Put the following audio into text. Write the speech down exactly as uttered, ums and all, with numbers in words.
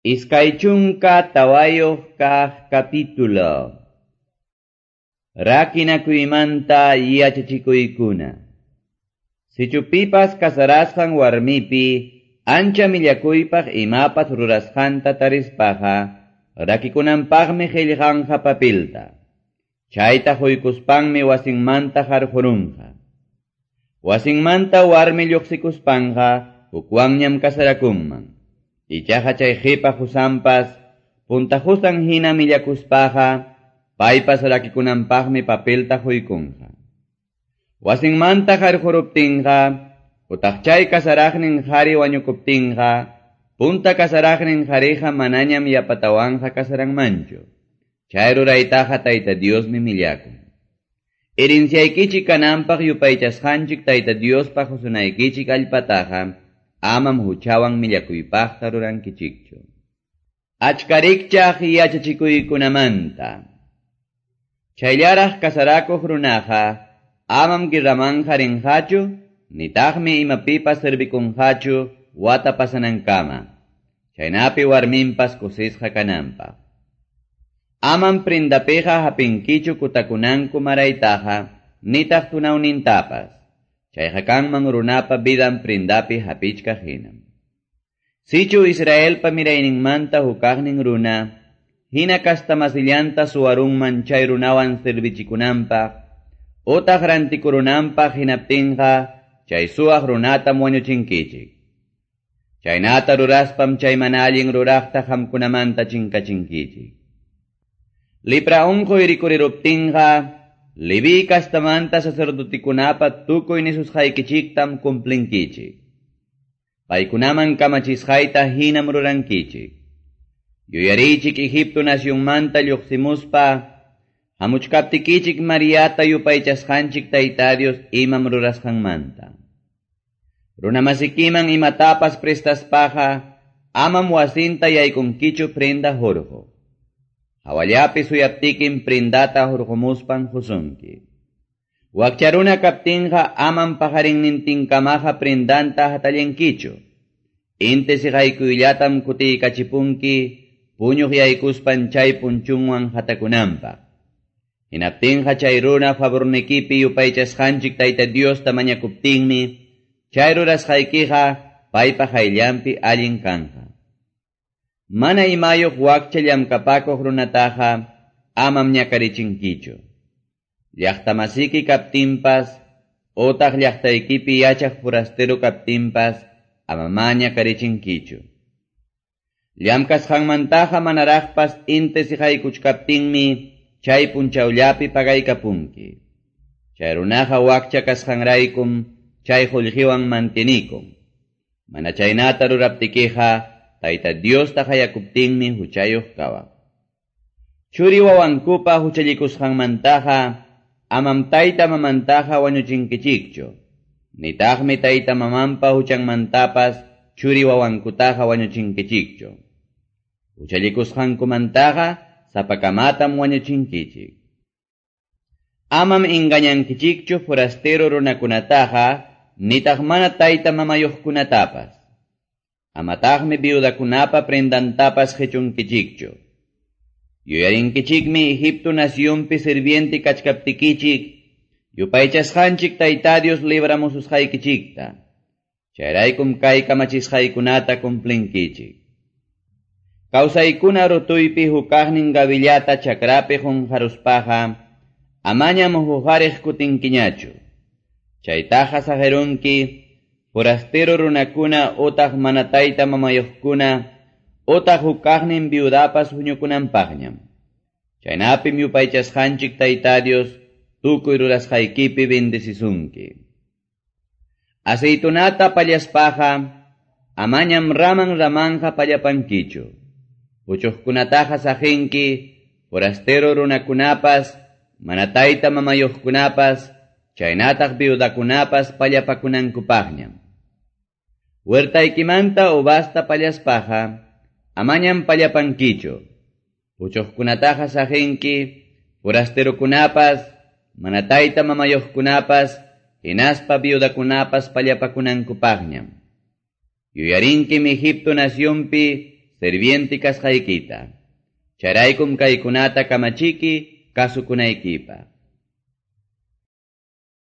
Iskay chunka tawayuq kaq capítulo. Rakinakuymanta yachachikuykuna. Sichu pipas kasarasqan warmipi ancha millakuypaq imapas rurasqanta tarispaqa, rakikunanpaqmi qillqanqa papilta. Chayta huykuspanmi wasinmanta harqurunqa. Wasinmanta warmi lluqsikuspanqa hukwanñam kasarakunman. Ichaqa chay qipa husanpas, punta husan hina millakuspaqa, paypas rakikunanpaqmi papelta huykunqa. Wasinmanta harquruptinqa, utaq chay kasaraqnin qhari wañukuptinqa, punta kasaraqnin qhariqa manañam yapatawanqa kasaranmanchu. Chay ruraytaqa Tayta Diosmi millakun. Herenciaykichik kananpaq yupaychasqanchik Tayta Diospaq husunaykichik allpataqa, amam huchawan millakuypaqta rurankichikchu. Achkarikchaq yachachikuykunamanta. Chayllaraq kasarakuq runaqa, amam guerramanqa rinqachu, nitaqmi imapipas servikunqachu wata pasanankama. Chaynapi warminpas kusisqa kananpaq. Amam prindapiqa hapinkichu kutakunanku maraytaqa, nitaq tunawnintapas. Chayqa kanman runapa vidan prindapi hapichkaq hinam. Sichu Israelpa mirayninmanta hukaqnin runa, hina kastamasillanta suwarunman chay runawan servichikunanpaq, utaq rantikurunanpaq hinaptinqa, chay suwaq runatam wañuchinkichik. Chaynata ruraspam chay mana allin ruraqta qamkunamanta chinkachinkichik. Lepra unquy rikuriruptinqa, Leví kastamanta sacerdotikunapa tukuy nisusqaykichiktam cumplinkichik. Paykunaman kamachisqayta hinam rurankichik. Yuyariychik Egipto nacionmanta lluqsimuspa, hamuchkaptikichik Mariata yupaychasqanchik Tayta Dios imam rurasqanmanta. Runamasikiman imatapas prestaspaqa, amam wasinta yaykunkichu prenda hurquq. Hawallapi suyaptikin prindata hurqumuspan husunki. Wakcharuna kaptinqa amam pajarinnintinkamaqa prindanta hatallinkichu. Inti siqaykuyllatam kutiykachipunki, puñuq yaykuspan chay punchunwan hatakunanpaq. Hinaptinqa chay runa favornikipi yupaychasqanchik Tayta Diosta mañakuptinmi, chay rurasqaykiqa paypa qayllanpi allin kanqa. Mana imayuq wakcha llamkapakuq runataqa amam ñakarichinkichu. Llaqtamasiki kaptinpas, utaq llaqtaykipi yachaq forastero kaptinpas, amamá ñakarichinkichu. Llamkasqanmantaqa manaraqpas inti siqaykuchkaptinmi chay punchawllapi pagaykapunki. Chay runaqa wakcha kasqanraykum chay qullqiwan mantinikun. Mana chaynata ruraptikiqa, Tayta Diosta hayakuptinmi huchayuq kawaq. Churi wawankupa huchallikusqanmantaqa, amam tayta mamantaqa wañuchinkichikchu. Nitaqmi tayta mamanpa huchanmantapas churi wawankutaqa wañuchinkichikchu. Huchallikusqankumantaqa sapakamatam wañuchinkichik. Amam engañankichikchu forastero runakunataqa, nitaq mana tayta mamayuqkunatapas. Amataqmi viudakunapa prendantapas qichunkichikchu. Yuyarinkichikmi Egipto nacionpi sirviente kachkaptikichik, yupaychasqanchik Tayta Dios libramususqaykichikta. Chayraykum kay kamachisqaykunata cumplinkichik. Kawsaykuna rutuypi hukaqnin gavillata chakrapi qunqaruspaqa, amañam huqariq kutinkiñachu. Chaytaqa saqirunki, forastero runakuna utaq mana tayta mamayuqkuna, utaq hukaqnin viudapas huñukunanpaqñam. Chaynapim yupaychasqanchik Tayta Dios tukuy rurasqaykipi bendecisunki. Aceitunata pallaspaqa, amañam raman ramanja pallapankichu. Puchuqkunataqa saqinki, forastero runakunapas, mana tayta mamayuqkunapas, chaynataq viudakunapas pallapakunankupaqñam. Huertaykimanta uvasta pallaspaqa, amañam pallapankichu. Puchuqkunataqa saqinki, forasterokunapas, mana tayta mamayuqkunapas, hinaspa viudakunapas pallapakunankupaqñam. Yuyarinkim Egipto nacionpi sirviente kasqaykita. Chayraykum kaykunata kamachiki kasukunaykipaq.